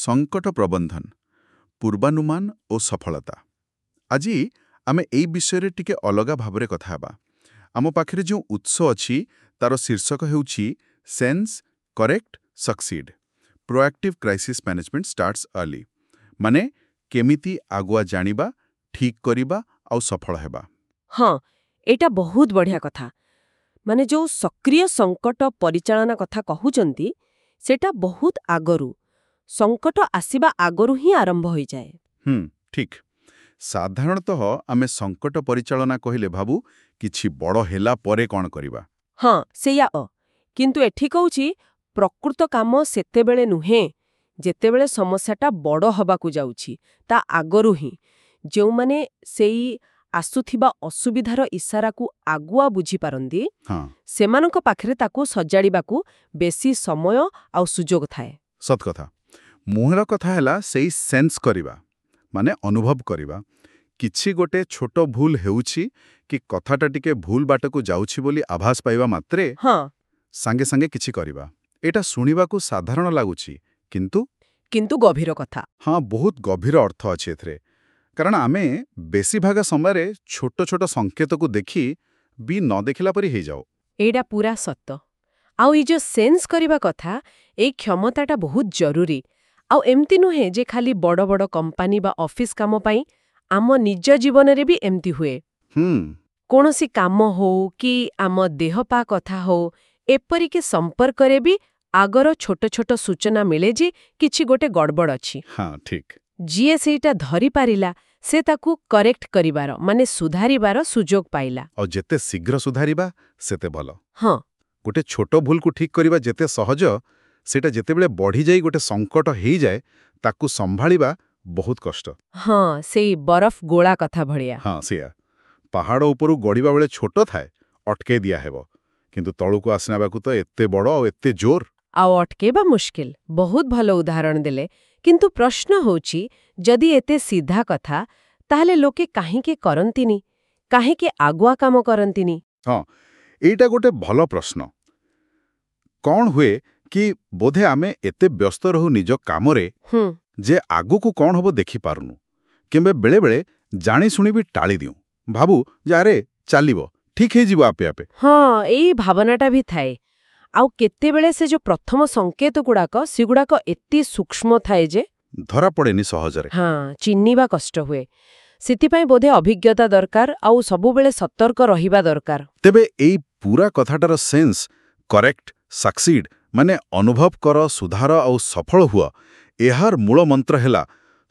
ସଙ୍କଟ ପ୍ରବନ୍ଧନ, ପୂର୍ବାନୁମାନ ଓ ସଫଳତା। ଆଜି ଆମେ ଏଇ ବିଷୟରେ ଟିକେ ଅଲଗା ଭାବରେ କଥା ହେବା। ଆମ ପାଖରେ ଯେଉଁ ଉତ୍ସ ଅଛି, ତାର ଶୀର୍ଷକ ହେଉଛି "Sense, Correct, Succeed: Proactive Crisis Management Starts Early", ମାନେ କେମିତି ଆଗୁଆ ଜାଣିବା, ଠିକ୍ କରିବା ଆଉ ସଫଳ ହେବା। ହଁ, ଏଇଟା ବହୁତ ବଢ଼ିଆ କଥା। ମାନେ ଯୋଉ ସକ୍ରିୟ ସଙ୍କଟ ପରିଚାଳନା କଥା କହୁଛନ୍ତି, ସେଟା ବହୁତ ଆଗରୁ, ସଙ୍କଟ ଆସିବା ଆଗରୁ ହିଁ ଆରମ୍ଭ ହୋଇଯାଏ। ଠିକ୍। ସାଧାରଣତଃ ଆମେ ସଙ୍କଟ ପରିଚାଳନା କହିଲେ ଭାବୁ କିଛି ବଡ଼ ହେଲା ପରେ କ'ଣ କରିବା। ହଁ, ସେଇଆ ଅ କିନ୍ତୁ ଏଠି କହୁଛି, ପ୍ରକୃତ କାମ ସେତେବେଳେ ନୁହେଁ ଯେତେବେଳେ ସମସ୍ୟାଟା ବଡ଼ ହବାକୁ ଯାଉଛି, ତା ଆଗରୁ ହିଁ। ଯେଉଁମାନେ ସେଇ ଆସୁଥିବା ଅସୁବିଧାର ଇସାରାକୁ ଆଗୁଆ ବୁଝିପାରନ୍ତି, ସେମାନଙ୍କ ପାଖରେ ତାକୁ ସଜାଡ଼ିବାକୁ ବେଶୀ ସମୟ ଆଉ ସୁଯୋଗ ଥାଏ। ସତ କଥା। ମୂଳ କଥା ହେଲା ସେଇ ସେନ୍ସ କରିବା, ମାନେ ଅନୁଭବ କରିବା। କିଛି ଗୋଟେ ଛୋଟ ଭୁଲ ହେଉଛି କି କଥାଟା ଟିକେ ଭୁଲ ବାଟକୁ ଯାଉଛି ବୋଲି ଆଭାସ ପାଇବା ମାତ୍ରେ ସାଙ୍ଗେ ସାଙ୍ଗେ କିଛି କରିବା। ଏଇଟା ଶୁଣିବାକୁ ସାଧାରଣ ଲାଗୁଛି, କିନ୍ତୁ କିନ୍ତୁ ଗଭୀର କଥା। ହଁ, ବହୁତ ଗଭୀର ଅର୍ଥ ଅଛି ଏଥିରେ। କାରଣ ଆମେ ବେଶୀ ଭାଗ ସମୟରେ ଛୋଟ ଛୋଟ ସଂକେତକୁ ଦେଖି ବି ନ ଦେଖିଲା ପରି ହେଇଯାଉ। ଏଇଟା ପୁରା ସତ। ଆଉ ଏଇ ଯୋଉ ସେନ୍ସ କରିବା କଥା, ଏଇ କ୍ଷମତାଟା ବହୁତ ଜରୁରୀ। ଆଉ ଏମିତି ନୁହେଁ ଯେ ଖାଲି ବଡ଼ ବଡ଼ କମ୍ପାନୀ ବା ଅଫିସ କାମ ପାଇଁ। ଆମ ନିଜ ଜୀବନରେ ବି ଏମିତି ହୁଏ। କୌଣସି କାମ ହଉ କି ଆମ ଦେହପା କଥା ହଉ, ଏପରିକି ସମ୍ପର୍କରେ ବି ଆଗର ଛୋଟ ଛୋଟ ସୂଚନା ମିଳେ ଯେ କିଛି ଗୋଟେ ଗଡ଼ବଡ଼ ଅଛି। ହଁ ଠିକ୍ ଯିଏ ସେଇଟା ଧରିପାରିଲା, ସେ ତାକୁ କରେକ୍ଟ କରିବାର, ମାନେ ସୁଧାରିବାର ସୁଯୋଗ ପାଇଲା। ଆଉ ଯେତେ ଶୀଘ୍ର ସୁଧାରିବା, ସେତେ ଭଲ। ଗୋଟେ ଛୋଟ ଭୁଲକୁ ଠିକ୍ କରିବା ଯେତେ ସହଜ, ସେଇଟା ଯେତେବେଳେ ବଢ଼ିଯାଇ ଗୋଟେ ସଙ୍କଟ ହେଇଯାଏ, ତାକୁ ସମ୍ଭାଳିବା ବହୁତ କଷ୍ଟ। ହଁ, ସେଇ ବରଫ ଗୋଳା କଥା ଭଳିଆ। ହଁ, ସେଇଆ। ପାହାଡ଼ ଉପରୁ ଗଡ଼ିବା ବେଳେ ଛୋଟ ଥାଏ, ଅଟକେଇ ଦିଆହେବ, କିନ୍ତୁ ତଳକୁ ଆସିବାକୁ ତ ଏତେ ବଡ଼ ଆଉ ଏତେ ଜୋର। ଆଉ ଅଟକେଇବା ମୁସ୍କିଲ। ବହୁତ ଭଲ ଉଦାହରଣ ଦେଲେ। କିନ୍ତୁ ପ୍ରଶ୍ନ ହେଉଛି, ଯଦି ଏତେ ସିଧା କଥା, ତାହେଲେ ଲୋକେ କାହିଁକି କରନ୍ତିନି? କାହିଁକି ଆଗୁଆ କାମ କରନ୍ତିନି? ହଁ, ଏଇଟା ଗୋଟେ ଭଲ ପ୍ରଶ୍ନ। କ'ଣ ହୁଏ କି, ବୋଧେ ଆମେ ଏତେ ବ୍ୟସ୍ତ ରହୁ ନିଜ କାମରେ ଯେ ଆଗକୁ କ'ଣ ହବ ଦେଖିପାରୁନୁ, କିମ୍ବା ବେଳେବେଳେ ଜାଣିଶୁଣି ବି ଟାଳି ଦିଉଁ। ଭାବୁ ଯେ ଆରେ, ଚାଲିବ, ଠିକ୍ ହେଇଯିବ ଆପେ ଆପେ। ହଁ, ଏଇ ଭାବନାଟା ବି ଥାଏ। ଆଉ କେତେବେଳେ ସେ ଯୋଉ ପ୍ରଥମ ସଂକେତ ଗୁଡାକ, ସେଗୁଡାକ ଏତେ ସୂକ୍ଷ୍ମ ଥାଏ ଯେ ଧରା ପଡ଼େନି ସହଜରେ। ହଁ, ଚିହ୍ନିବା କଷ୍ଟ ହୁଏ। ସେଥିପାଇଁ ବୋଧେ ଅଭିଜ୍ଞତା ଦରକାର ଆଉ ସବୁବେଳେ ସତର୍କ ରହିବା ଦରକାର। ତେବେ ଏଇ ପୁରା କଥାଟାର ସେନ୍ସ, କରେକ୍ଟ, ସକ୍ସିଡ୍, ମାନେ ଅନୁଭବ କର, ସୁଧାର ଆଉ ସଫଳ ହୁଅ, ଏହାର ମୂଳ ମନ୍ତ୍ର ହେଲା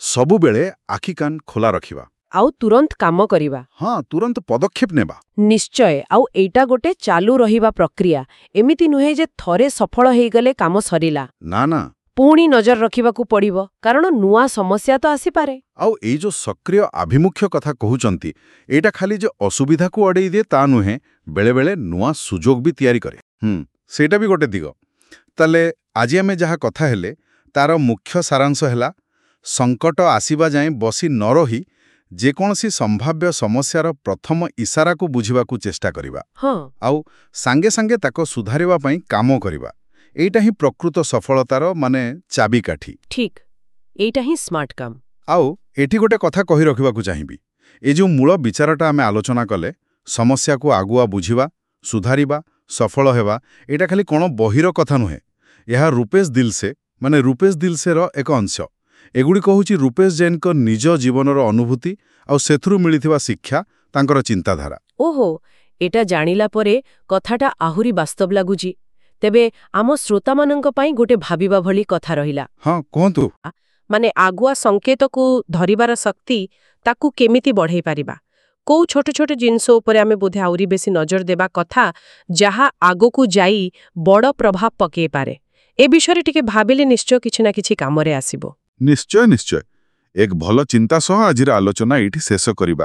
ସବୁବେଳେ ଆଖି କାନ ଖୋଲା ରଖିବା। ଆଉ ତୁରନ୍ତ କାମ କରିବା। ହଁ, ତୁରନ୍ତ ପଦକ୍ଷେପ ନେବା। ନିଶ୍ଚୟ। ଆଉ ଏଇଟା ଗୋଟେ ଚାଲୁ ରହିବା ପ୍ରକ୍ରିୟା। ଏମିତି ନୁହେଁ ଯେ ଥରେ ସଫଳ ହେଇଗଲେ କାମ ସରିଲା। ନା ନା ପୁଣି ନଜର ରଖିବାକୁ ପଡ଼ିବ, କାରଣ ନୂଆ ସମସ୍ୟା ତ ଆସିପାରେ। ଆଉ ଏଇ ଯୋଉ ସକ୍ରିୟ ଆଭିମୁଖ୍ୟ କଥା କହୁଛନ୍ତି, ଏଇଟା ଖାଲି ଯେ ଅସୁବିଧାକୁ ଅଡ଼େଇ ଦିଏ ତା ନୁହେଁ, ବେଳେବେଳେ ନୂଆ ସୁଯୋଗ ବି ତିଆରି କରେ। ସେଇଟା ବି ଗୋଟେ ଦିଗ। ତାହେଲେ ଆଜି ଆମେ ଯାହା କଥା ହେଲେ, ତାର ମୁଖ୍ୟ ସାରାଂଶ ହେଲା, ସଙ୍କଟ ଆସିବା ଯାଏଁ ବସି ନ ରହି ଯେକୌଣସି ସମ୍ଭାବ୍ୟ ସମସ୍ୟାର ପ୍ରଥମ ଇସାରାକୁ ବୁଝିବାକୁ ଚେଷ୍ଟା କରିବା ଆଉ ସାଙ୍ଗେ ସାଙ୍ଗେ ତାକୁ ସୁଧାରିବା ପାଇଁ କାମ କରିବା। ଏଇଟା ହିଁ ପ୍ରକୃତ ସଫଳତାର ମାନେ ଚାବିକାଠି। ଠିକ୍, ଏଇଟା ହିଁ ସ୍ମାର୍ଟ କାମ। ଆଉ ଏଠି ଗୋଟେ କଥା କହି ରଖିବାକୁ ଚାହିଁବି। ଏ ଯେଉଁ ମୂଳ ବିଚାରଟା ଆମେ ଆଲୋଚନା କଲେ, ସମସ୍ୟାକୁ ଆଗୁଆ ବୁଝିବା, ସୁଧାରିବା, ସଫଳ ହେବା, ଏଇଟା ଖାଲି କ'ଣ ବହିର କଥା ନୁହେଁ। ଏହା ରୂପେଶ ଦିଲସେ, ମାନେ ରୂପେଶ ଦିଲସେର ଏକ ଅଂଶ। ଏଗୁଡ଼ିକ ହେଉଛି ରୂପେଶ ଜୈନଙ୍କ ନିଜ ଜୀବନର ଅନୁଭୂତି ଆଉ ସେଥିରୁ ମିଳିଥିବା ଶିକ୍ଷା, ତାଙ୍କର ଚିନ୍ତାଧାରା। ଓହୋ, ଏଟା ଜାଣିଲା ପରେ କଥାଟା ଆହୁରି ବାସ୍ତବ ଲାଗୁଛି। ତେବେ ଆମ ଶ୍ରୋତାମାନଙ୍କ ପାଇଁ ଗୋଟେ ଭାବିବା ଭଳି କଥା ରହିଲା। ହଁ, କୁହନ୍ତୁ। ମାନେ ଆଗୁଆ ସଂକେତକୁ ଧରିବାର ଶକ୍ତି, ତାକୁ କେମିତି ବଢ଼େଇ ପାରିବା? କୋଉ ଛୋଟ ଛୋଟ ଜିନିଷ ଉପରେ ଆମେ ବୋଧେ ଆହୁରି ବେଶୀ ନଜର ଦେବା କଥା, ଯାହା ଆଗକୁ ଯାଇ ବଡ଼ ପ୍ରଭାବ ପକେଇ ପାରେ? ଏ ବିଷୟରେ ଟିକେ ଭାବିଲେ ନିଶ୍ଚୟ କିଛି ନା କିଛି କାମରେ ଆସିବ। ନିଶ୍ଚୟ ନିଶ୍ଚୟ ଏକ ଭଲ ଚିନ୍ତା ସହ ଆଜିର ଆଲୋଚନା ଏଇଠି ଶେଷ କରିବା।